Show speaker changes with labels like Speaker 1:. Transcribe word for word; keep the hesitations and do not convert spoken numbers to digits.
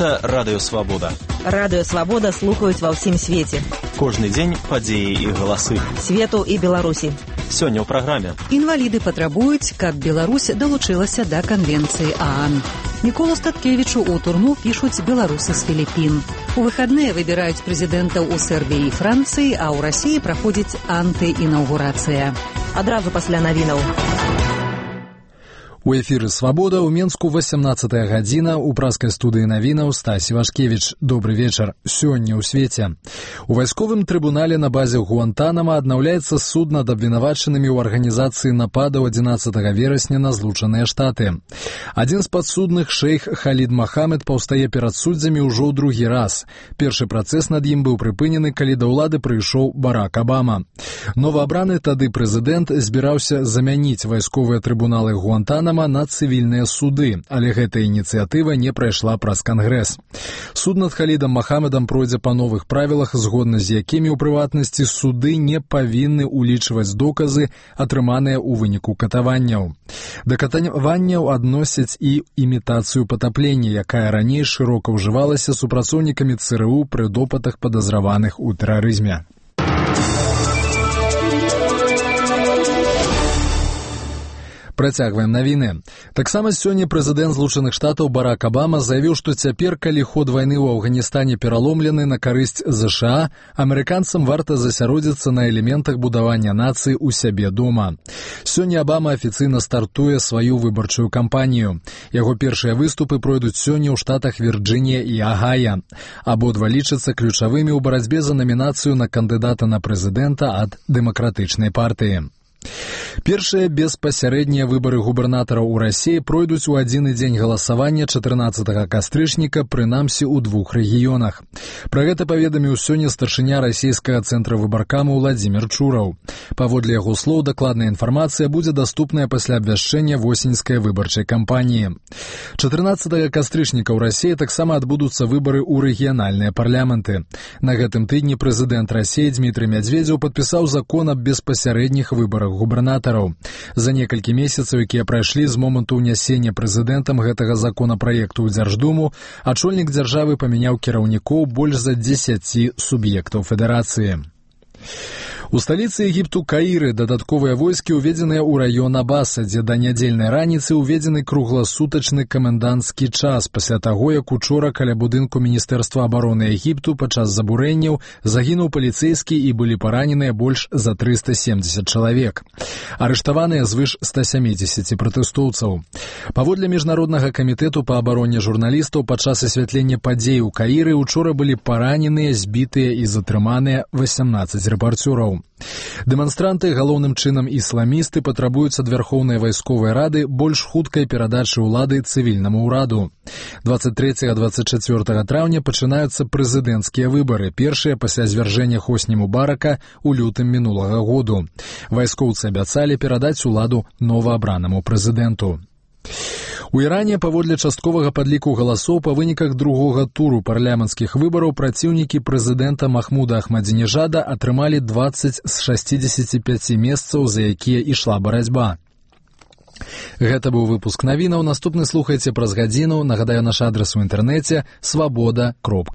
Speaker 1: Гэта Радыё Свабода.
Speaker 2: Радыё Свабода слухаюць ва ўсім свеце.
Speaker 1: Кожны дзень падзеі і галасы.
Speaker 2: Свету і Беларусі.
Speaker 1: Сёння ў праграме.
Speaker 3: Інваліды патрабуюць, каб Беларусь далучылася да канвенцыі ААН. Міколу Статкевічу ў турму пішуць беларусы з Філіппін. У выхадныя выбіраюць прэзідэнтаў у Сербіі і Францыі, а ў Расіі праходзіць антыінаўгурацыя.
Speaker 2: Адразу пасля навінаў.
Speaker 4: У эфіры «Свабода» ў Менску васямнаццатая гадзіна, у праскай студыі навінаў Стась Івашкевіч. Добры вечар. Сёння ў свеце. У вайсковым трыбунале на базе Гуантанама аднаўляецца суд над абвінавачанымі ў арганізацыі нападаў адзінаццатага верасня на Злучаныя Штаты. Адзін з падсудных, шэйх Халід Махамед, паўстае перад суддзямі ўжо ў другі раз. Першы працэс над ім быў прыпынены, калі да ўлады прыйшоў Барак Абама. Новаабраны тады прэзідэнт збіраўся замяніць вайсковыя трыбуналы Гуантанама на цывільныя суды, але гэта ініцыятыва не прайшла праз Кангрэс. Суд над Халідам Махамедам пройдзе па новых правілах, згодна з якімі, у прыватнасці, суды не павінны улічваць доказы, атрыманыя ў выніку катаванняў. Да катаванняў адносяць і імітацыю патаплення, якая раней шырока ўжывалася супрацоўнікамі ЦРУ пры допытах падазраваных у тэрарызме. Працягваем навіны. Таксама сёння прэзідэнт Злучаных Штатаў Барак Абама заявіў, што цяпер, калі ход вайны ў Афганістане пераломлены на карысць ЗША, амерыканцам варта засяродзіцца на элементах будавання нацыі ў сябе дома. Сёння Абама афіцыйна стартуе сваю выбарчую кампанію. Яго першыя выступы пройдуць сёння ў штатах Вірджынія і Агая. Абодва лічацца ключавымі ў барацьбе за намінацыю на кандыдата на прэзідэнта ад дэмакратычнай партыі. Першыя беспасярэднія выбары губернатараў у Расіі пройдуць у адзіны дзень галасавання чатырнаццатага кастрычніка, прынамсі ў двух рэгіёнах. Пра гэта паведаміў сёння старшыня расійскага цэнтра выбаркама Уладзімір Чураў. Паводле яго слоў, дакладная інфармацыя будзе даступная пасля абвяшчэння восеньскай выбарчай кампаніі. чатырнаццатага кастрычніка ў Расіі таксама адбудуцца выбары ў рэгіянальныя парламенты. На гэтым тыдні прэзідэнт Расіі Дмітрый Мядзведзеў падпісаў закон аб беспасярэдніх выбарах губернатараў. За некалькі месяцаў, якія прайшлі з моманту ўнясення прэзідэнтам гэтага законапраекту ў Дзярждуму, ачольнік дзяржавы памяняў кіраўнікоў больш за дзесяці суб'ектаў федэрацыі. У сталіцы Егіпту Каіры дадатковыя войскі ўведзеныя ў раён Абаса, дзе да нядзельнай раніцы ўведзены кругласутачны каменданцкі час пасля таго, як учора каля будынку Міністэрства абароны Егіпту падчас забурэнняў загінуў паліцэйскі і былі параненыя больш за трыста семдзесят чалавек. Арыштаваныя звыш ста сямідзесяці пратэстоўцаў. Паводле Міжнароднага камітэту па абароне журналістаў, падчас асвятлення падзей у Каіры учора былі параненыя, збітыя і затрыманыя васямнаццаць рэпарцёраў. Дэманстранты, галоўным чынам ісламісты, патрабуюць ад Вярхоўнай вайсковай рады больш хуткай перадачы ўлады цывільнаму ўраду. дваццаць трэцяга - дваццаць чацвёртага траўня пачынаюцца прэзідэнцкія выбары, першыя пасля звяржэння Хосні Мубарака ў лютым мінулага году. Вайскоўцы абяцалі перадаць уладу новаабранаму прэзідэнту. У Іране, паводле частковага падліку галасоў, па выніках другога туру парламенцкіх выбараў праціўнікі прэзідэнта Махмуда Ахмадзінежада атрымалі дваццаць з шасцідзесяці пяці месцаў, за якія ішла барацьба. Гэта быў выпуск навінаў. Наступны слухайце праз гадзіну. Нагадаю, наш адрас у інтэрнэце свабода кропка